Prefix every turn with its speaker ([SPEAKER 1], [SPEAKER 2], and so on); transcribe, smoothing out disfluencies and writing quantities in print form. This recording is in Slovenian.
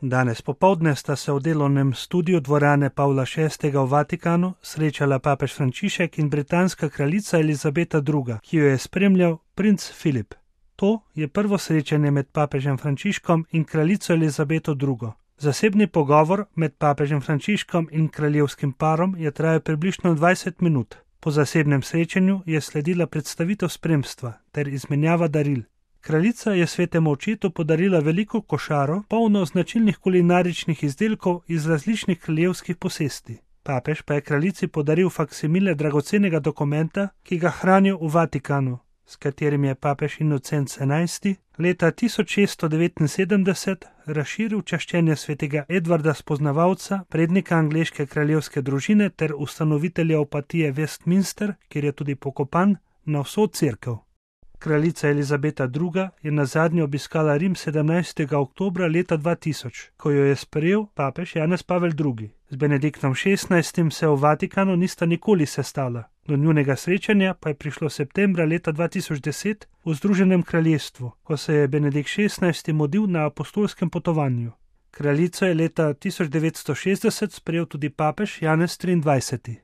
[SPEAKER 1] Danes popoldne sta se v delovnem studiu dvorane Pavla VI. V Vatikanu srečala papež Frančišek in britanska kraljica Elizabeta II., ki jo je spremljal princ Filip. To je prvo srečanje med papežem Frančiškom in kraljico Elizabeto II. Zasebni pogovor med papežem Frančiškom in kraljevskim parom je trajal približno 20 minut. Po zasebnem srečanju je sledila predstavitev spremstva ter izmenjava daril. Kraljica je svetemu očetu podarila veliko košaro, polno značilnih kulinaričnih izdelkov iz različnih kraljevskih posesti. Papež pa je kraljici podaril faksimile dragocenega dokumenta, ki ga hranijo v Vatikanu, s katerim je papež Inocent XI. Leta 1679 razširil čaščenje svetega Edvarda Spoznavalca, prednika angleške kraljevske družine ter ustanovitelja opatije Westminster, kjer je tudi pokopan, na vso cerkev. Kraljica Elizabeta II. Je nazadnje obiskala Rim 17. oktobra leta 2000, ko jo je sprejel papež Janez Pavel II. Z Benediktom XVI. Se v Vatikanu nista nikoli sestala. Do njunega srečanja pa je prišlo septembra leta 2010 v Združenem kraljestvu, ko se je Benedikt XVI. Mudil na apostolskem potovanju. Kraljico je leta 1960 sprejel tudi papež Janez XXIII.